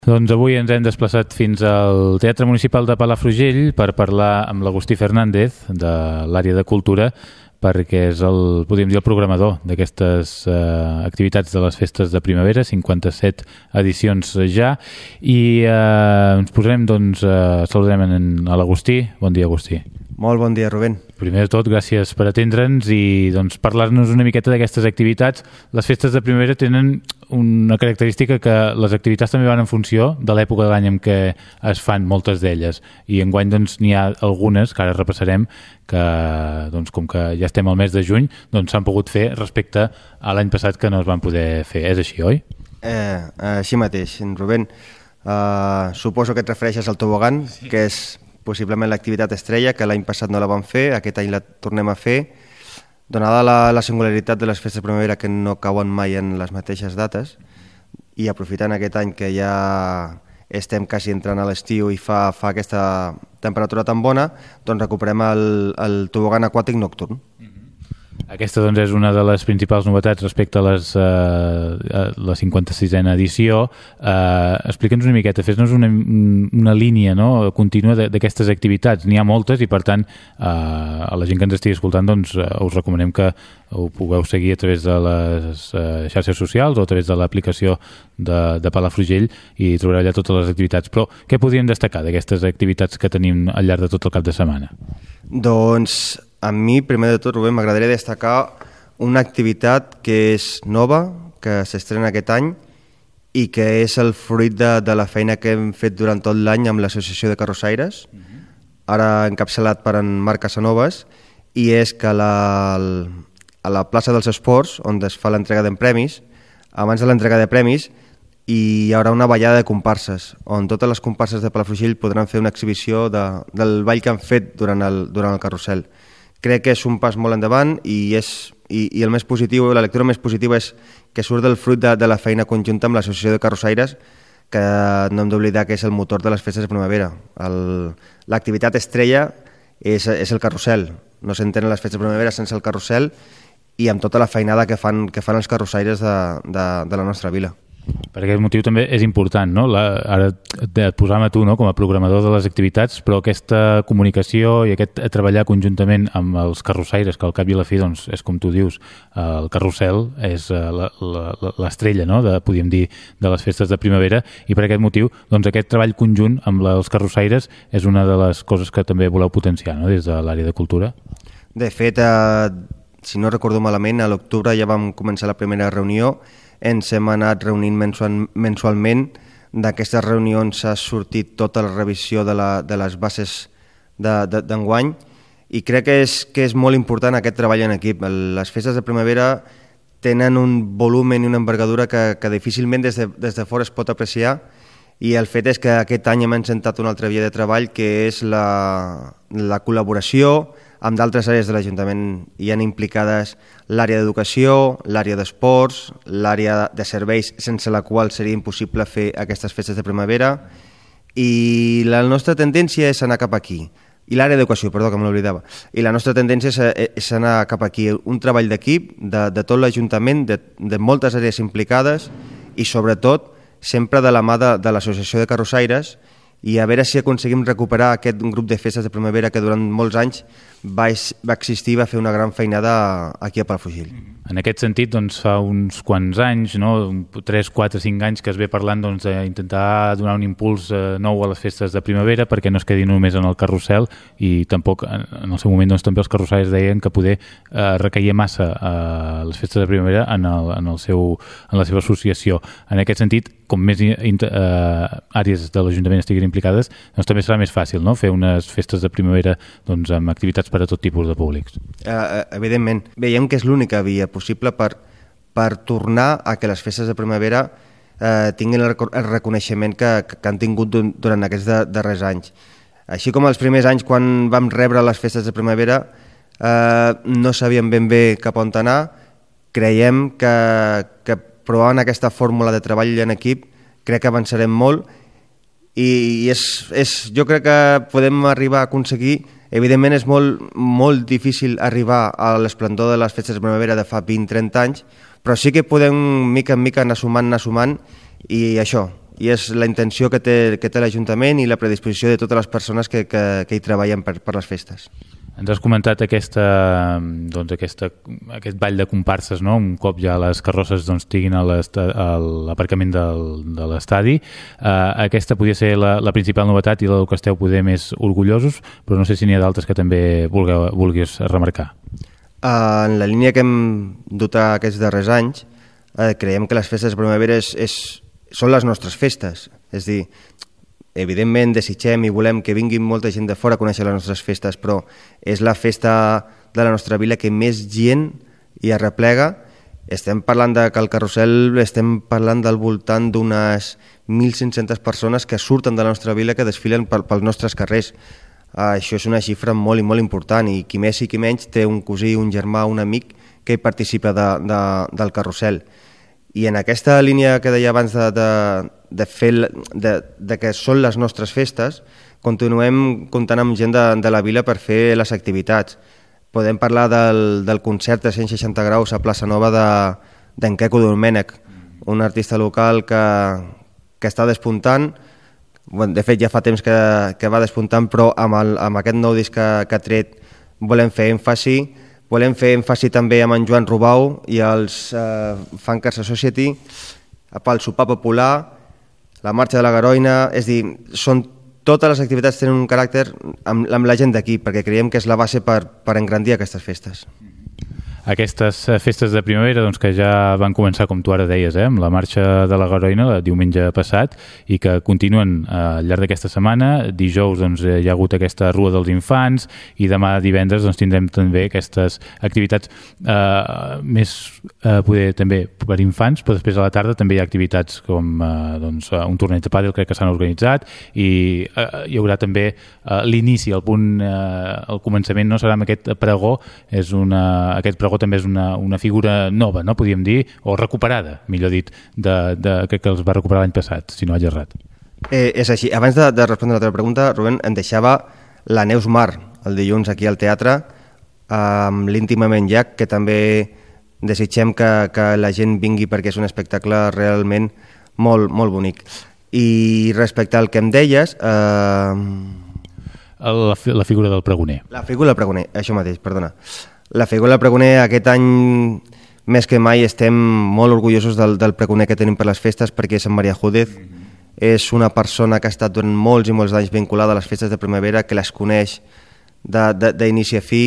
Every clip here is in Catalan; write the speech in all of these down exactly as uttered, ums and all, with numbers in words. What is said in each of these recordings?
Doncs avui ens hem desplaçat fins al Teatre Municipal de Palafrugell per parlar amb l'Agustí Fernández de l'àrea de cultura, perquè és el, podríem dir, el programador d'aquestes eh, activitats de les festes de primavera, cinquanta-set edicions ja, i eh, ens posarem, doncs, eh, saludarem en, a l'Agustí. Bon dia, Agustí. Molt bon dia, Rubén. Primer de tot, gràcies per atendre'ns i doncs, parlar-nos una miqueta d'aquestes activitats. Les festes de primavera tenen una característica que les activitats també van en funció de l'època de l'any en què es fan moltes d'elles, i enguany doncs, n'hi ha algunes que ara repassarem que, doncs, com que ja estem al mes de juny, doncs s'han pogut fer respecte a l'any passat que no es van poder fer. És així, oi? Eh, així mateix, Rubén. Uh, suposo que et refereixes al tobogan, sí, que és possiblement l'activitat estrella, que l'any passat no la vam fer, aquest any la tornem a fer. Donada la, la singularitat de les festes de primavera, que no cauen mai en les mateixes dates, i aprofitant aquest any que ja estem quasi entrant a l'estiu i fa, fa aquesta temperatura tan bona, doncs recuperem el, el tobogan aquàtic nocturn. Aquesta doncs, és una de les principals novetats respecte a, les, uh, a la cinquanta-sisena edició. Uh, Explica'ns una miqueta, fes-nos una, una línia, no?, contínua d'aquestes activitats. N'hi ha moltes i, per tant, uh, a la gent que ens estigui escoltant, doncs, uh, us recomanem que ho pugueu seguir a través de les uh, xarxes socials o a través de l'aplicació de, de Palafrugell, i trobareu allà totes les activitats. Però què podríem destacar d'aquestes activitats que tenim al llarg de tot el cap de setmana? Doncs a mi, primer de tot, Rubén, m'agradaria destacar una activitat que és nova, que s'estrena aquest any i que és el fruit de, de la feina que hem fet durant tot l'any amb l'Associació de Carrossaires, uh-huh. ara encapçalat per en Marc Casanovas, i és que la, a la plaça dels Esports, on es fa l'entrega de premis, abans de l'entrega de premis hi haurà una ballada de comparses, on totes les comparses de Palafrugell podran fer una exhibició de, del ball que han fet durant el, durant el carrusel. Crec que és un pas molt endavant i, és, i, i el més positiu, la lectura més positiva és que surt del fruit de, de la feina conjunta amb l'Associació de Carrossaires, que no hem d'oblidar que és el motor de les festes de primavera. L'activitat estrella és, és el carrusel. No s'entenen les festes de primavera sense el carrusel i amb tota la feinada que fan, que fan els carrossaires de, de, de la nostra vila. Per aquest motiu també és important, no? La, ara et posam a tu, no?, com a programador de les activitats, però aquesta comunicació i aquest treballar conjuntament amb els carrossaires, que al cap i a la fi, doncs, és com tu dius, el carrusel és l'estrella, no?, de, podríem dir, de les festes de primavera, i per aquest motiu, doncs, aquest treball conjunt amb els carrossaires és una de les coses que també voleu potenciar, no?, des de l'àrea de cultura. De fet, eh, si no recordo malament, a l'octubre ja vam començar la primera reunió. Ens hem anat reunint mensual, mensualment. D'aquestes reunions ha sortit tota la revisió de, la, de les bases d'enguany, i crec que és, que és molt important aquest treball en equip. Les festes de primavera tenen un volum i una envergadura que, que difícilment des de, des de fora es pot apreciar, i el fet és que aquest any hem encetat una altra via de treball, que és la, la col·laboració amb d'altres àrees de l'Ajuntament. Hi han implicades l'àrea d'educació, l'àrea d'esports, l'àrea de serveis, sense la qual seria impossible fer aquestes festes de primavera, i la nostra tendència és anar cap aquí. I l'àrea d'educació, perdó, que me l'oblidava. I la nostra tendència és, és anar cap aquí. Un treball d'equip, de, de tot l'Ajuntament, de, de moltes àrees implicades, i sobretot sempre de la mà de, de l'Associació de Carrossaires, i a veure si aconseguim recuperar aquest grup de festes de primavera que durant molts anys va, va existir i va fer una gran feinada aquí a Palafrugell. En aquest sentit, doncs, fa uns quants anys, no, tres, quatre, cinc anys que es ve parlant, doncs, d'intentar donar un impuls eh, nou a les festes de primavera perquè no es quedi només en el carrusel, i tampoc en el seu moment, doncs, també els carrossaires deien que poder eh, recaia massa eh, les festes de primavera en, el, en, el seu, en la seva associació. En aquest sentit, com més eh, àrees de l'Ajuntament estiguin implicades, doncs també serà més fàcil, no?, fer unes festes de primavera, doncs, amb activitats per a tot tipus de públics. Uh, evidentment. Veiem que és l'única via possible per, per tornar a que les festes de primavera eh, tinguin el, el reconeixement que, que han tingut durant aquests de, darrers anys. Així com els primers anys, quan vam rebre les festes de primavera, eh, no sabíem ben bé cap on anar, creiem que, que provant aquesta fórmula de treball en equip, crec que avançarem molt, i, i és, és, jo crec que podem arribar a aconseguir. Evidentment és molt, molt difícil arribar a l'esplendor de les festes de primavera de fa vint trenta anys, però sí que podem mica en mica anar sumant, anar sumant, i això, i és la intenció que té, que té l'Ajuntament i la predisposició de totes les persones que, que, que hi treballen per, per les festes. Ens has comentat aquesta, doncs aquesta, aquest ball de comparses, no? Un cop ja les carrosses doncs, estiguin a l'aparcament de l'estadi. Uh, aquesta podria ser la, la principal novetat i la que esteu poder més orgullosos, però no sé si n'hi ha d'altres que també vulgueu, vulguis remarcar. Uh, en la línia que hem dut aquests darrers anys, uh, creiem que les festes de primavera és, és, són les nostres festes. És a dir, evidentment desitgem i volem que vingui molta gent de fora a conèixer les nostres festes, però és la festa de la nostra vila que més gent hi arreplega. Estem parlant de que al carrusel estem parlant del voltant d'unes mil cinc-centes persones que surten de la nostra vila, que desfilen pel, pels nostres carrers. Uh, això és una xifra molt i molt important, i qui més i qui menys té un cosí, un germà, un amic que hi participa de, de, del carrusel. I en aquesta línia que deia abans de, de, de, fer, de, de que són les nostres festes, continuem comptant amb gent de, de la vila per fer les activitats. Podem parlar del, del concert de cent seixanta graus a Plaça Nova d'en Queco Domènech, un artista local que, que està despuntant. Bueno, de fet, ja fa temps que, que va despuntant, però amb, el, amb aquest nou disc que, que ha tret volem fer èmfasi. Volem fer èmfasi també amb en Joan Rubau i els eh, Funkers Society pel sopar popular, la marxa de la Garoina. És dir, són, totes les activitats tenen un caràcter amb, amb la gent d'aquí, perquè creiem que és la base per, per engrandir aquestes festes. Aquestes festes de primavera doncs, que ja van començar, com tu ara deies, eh, amb la marxa de la Garoina el diumenge passat i que continuen eh, al llarg d'aquesta setmana. Dijous doncs, hi ha hagut aquesta Rua dels Infants i demà divendres doncs, tindrem també aquestes activitats eh, més eh, poder també per infants, però després a la tarda també hi ha activitats com eh, doncs, un torneig de pàdel, crec que s'han organitzat, i eh, hi haurà també eh, l'inici, el punt, eh, el començament no serà amb aquest pregó, és una, aquest pregó també és una, una figura nova, no podríem dir, o recuperada, millor dit, de, de, que, que els va recuperar l'any passat, si no vaig errat. Eh, és així. Abans de, de respondre a la teva pregunta, Rubén, em deixava la Neus Mar el dilluns aquí al teatre amb l'Íntimament Jack, que també desitgem que, que la gent vingui perquè és un espectacle realment molt, molt bonic. I respecte al que em deies... Eh... La, la figura del pregoner. La figura del pregoner, això mateix, perdona. La figura del pregoner, aquest any més que mai estem molt orgullosos del, del pregoner que tenim per les festes, perquè és en Maria Júdez. Mm-hmm. És una persona que ha estat durant molts i molts anys vinculada a les festes de primavera, que les coneix d'inici a fi,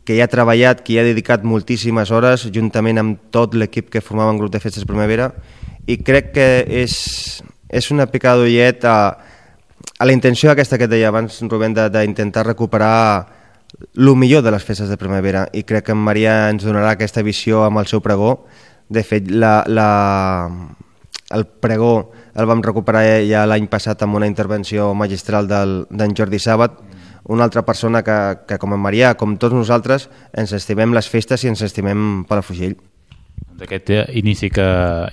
que hi ha treballat, que hi ha dedicat moltíssimes hores, juntament amb tot l'equip que formava en grup de festes de primavera, i crec que és, és una picada d'ullet a, a la intenció aquesta que et deia abans, Rubén, d'intentar recuperar el millor de les festes de primavera, i crec que en Maria ens donarà aquesta visió amb el seu pregó. De fet, la, la, el pregó el vam recuperar ja l'any passat amb una intervenció magistral d'en Jordi Sàbat, una altra persona que, que com en Maria, com tots nosaltres, ens estimem les festes i ens estimem Palafrugell. Aquest inici, que,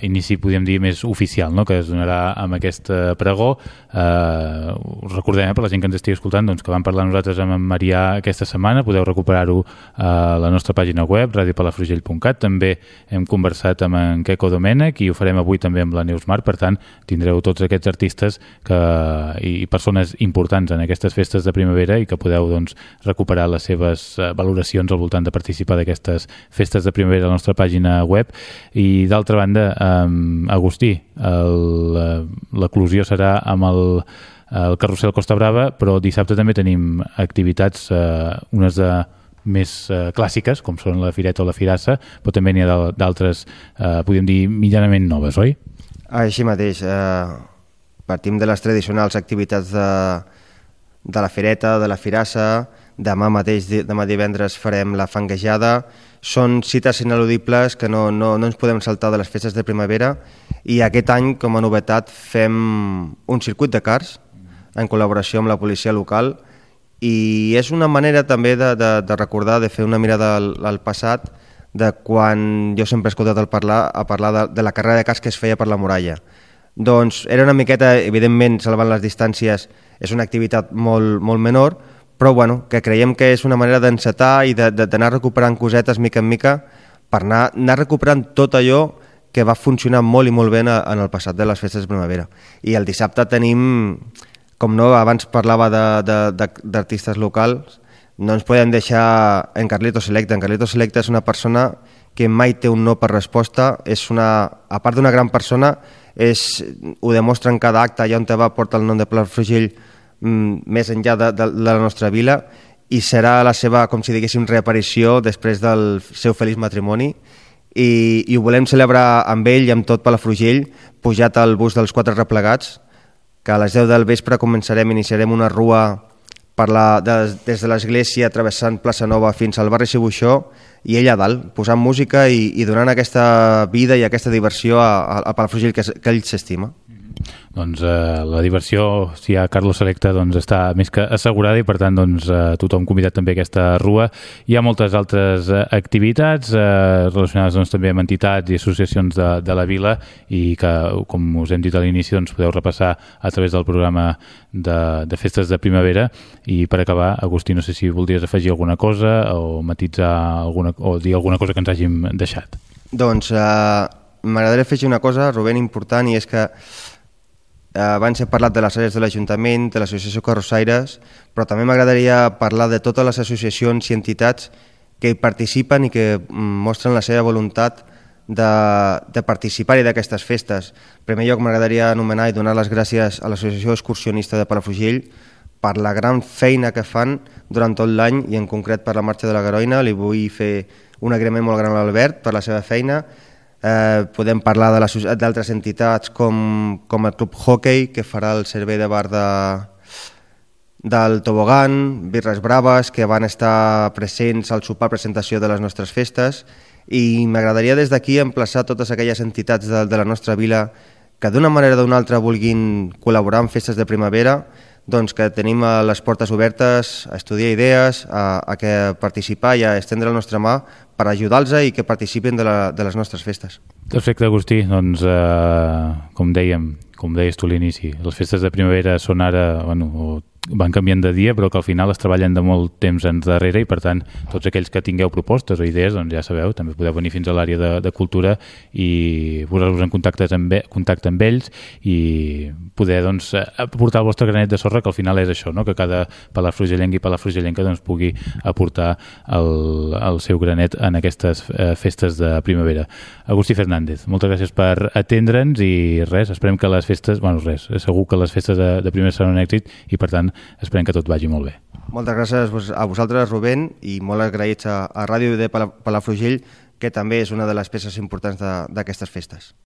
inici podríem dir més oficial, no? Que es donarà amb aquest pregó. Eh, us recordem, eh, per la gent que ens estigui escoltant, doncs, que vam parlar nosaltres amb en Marià aquesta setmana. Podeu recuperar-ho a la nostra pàgina web, radio palafrugell punt cat. També hem conversat amb en Queco Domènech i ho farem avui també amb la Neus Mar. Per tant, tindreu tots aquests artistes que, i persones importants en aquestes festes de primavera i que podeu doncs, recuperar les seves valoracions al voltant de participar d'aquestes festes de primavera a la nostra pàgina web. I d'altra banda, eh, Agustí, l'eclusió serà amb el, el carrusel Costa Brava, però dissabte també tenim activitats, eh, unes de més eh, clàssiques, com són la Fireta o la Firassa, però també n'hi ha d'altres, eh, podríem dir, mitjanament noves, oi? Així mateix, eh, partim de les tradicionals activitats de, de la Fireta, de la Firassa. Demà mateix, demà divendres, farem la fanguejada. Són cites ineludibles que no, no, no ens podem saltar de les festes de primavera, i aquest any, com a novetat, fem un circuit de cars en col·laboració amb la policia local, i és una manera també de, de, de recordar, de fer una mirada al, al passat, de quan jo sempre he escoltat el parlar, a parlar de, de la carrera de cars que es feia per la muralla. Doncs era una miqueta, evidentment, salvant les distàncies, és una activitat molt, molt menor, però bueno, que creiem que és una manera d'encetar i d'anar recuperant cosetes mica en mica per anar, anar recuperant tot allò que va funcionar molt i molt bé en el passat de les festes de primavera. I el dissabte tenim, com no, abans parlava d'artistes locals, no ens podem deixar en Carlito Selecta. En Carlito Selecta és una persona que mai té un no per resposta, és una, a part d'una gran persona, és, ho demostra en cada acte, allà on te va portar el nom de Palafrugell mm, més enllà de, de, de la nostra vila, i serà la seva, com si diguéssim, reaparició després del seu feliç matrimoni, i, i ho volem celebrar amb ell i amb tot Palafrugell, pujat al bus dels Quatre Replegats, que a les deu del vespre començarem, iniciarem una rua per la, des, des de l'església, travessant Plaça Nova fins al barri Cibuixó, i ell a dalt, posant música i, i donant aquesta vida i aquesta diversió a, a Palafrugell que, que ell s'estima. Doncs eh, la diversió, si hi ha Carlos Selecta, doncs està més que assegurada, i per tant doncs, eh, tothom convidat també a aquesta rua. Hi ha moltes altres eh, activitats eh, relacionades doncs, també amb entitats i associacions de, de la vila, i que, com us hem dit a l'inici, doncs, podeu repassar a través del programa de, de festes de primavera. I per acabar, Agustí, no sé si voldries afegir alguna cosa o matitzar alguna, o dir alguna cosa que ens hàgim deixat. Doncs eh, m'agradaria afegir una cosa, Rubén, important, i és que abans he parlat de les àrees de l'Ajuntament, de l'Associació Carrossaires, però també m'agradaria parlar de totes les associacions i entitats que hi participen i que mostren la seva voluntat de, de participar-hi d'aquestes festes. En primer lloc, m'agradaria anomenar i donar les gràcies a l'Associació Excursionista de Palafrugell per la gran feina que fan durant tot l'any, i en concret per la Marxa de la Garoina. Li vull fer un agraïment molt gran a l'Albert per la seva feina. Eh, podem parlar d'altres entitats com, com el Club Hockey, que farà el servei de bar de, del Tobogan, Birres Braves, que van estar presents al sopar presentació de les nostres festes, i m'agradaria des d'aquí emplaçar totes aquelles entitats de, de la nostra vila que d'una manera o d'una altra vulguin col·laborar en festes de primavera, doncs que tenim les portes obertes a estudiar idees, a, a que participar i a estendre la nostra mà per ajudar-los i que participin de, la, de les nostres festes. Perfecte, Agustí. Doncs, eh, com dèiem, com deies tu a l'inici, les festes de primavera són ara, bueno, o van canviant de dia, però que al final es treballen de molt temps endarrere, i per tant tots aquells que tingueu propostes o idees, doncs ja sabeu, també podeu venir fins a l'àrea de, de cultura i posar-vos en contacte amb, contacte amb ells i poder doncs, aportar el vostre granet de sorra, que al final és això, no? Que cada palafrugellenc i palafrugellenca doncs, pugui aportar el, el seu granet en aquestes eh, festes de primavera. Agustí Fernández, moltes gràcies per atendre'ns, i res, esperem que les festes, bueno, res, segur que les festes de, de primavera seran un èxit, i per tant esperem que tot vagi molt bé. Moltes gràcies a vosaltres, Rubén, i molt agraïts a, a Ràdio de Palafrugell, que també és una de les peces importants d'aquestes festes.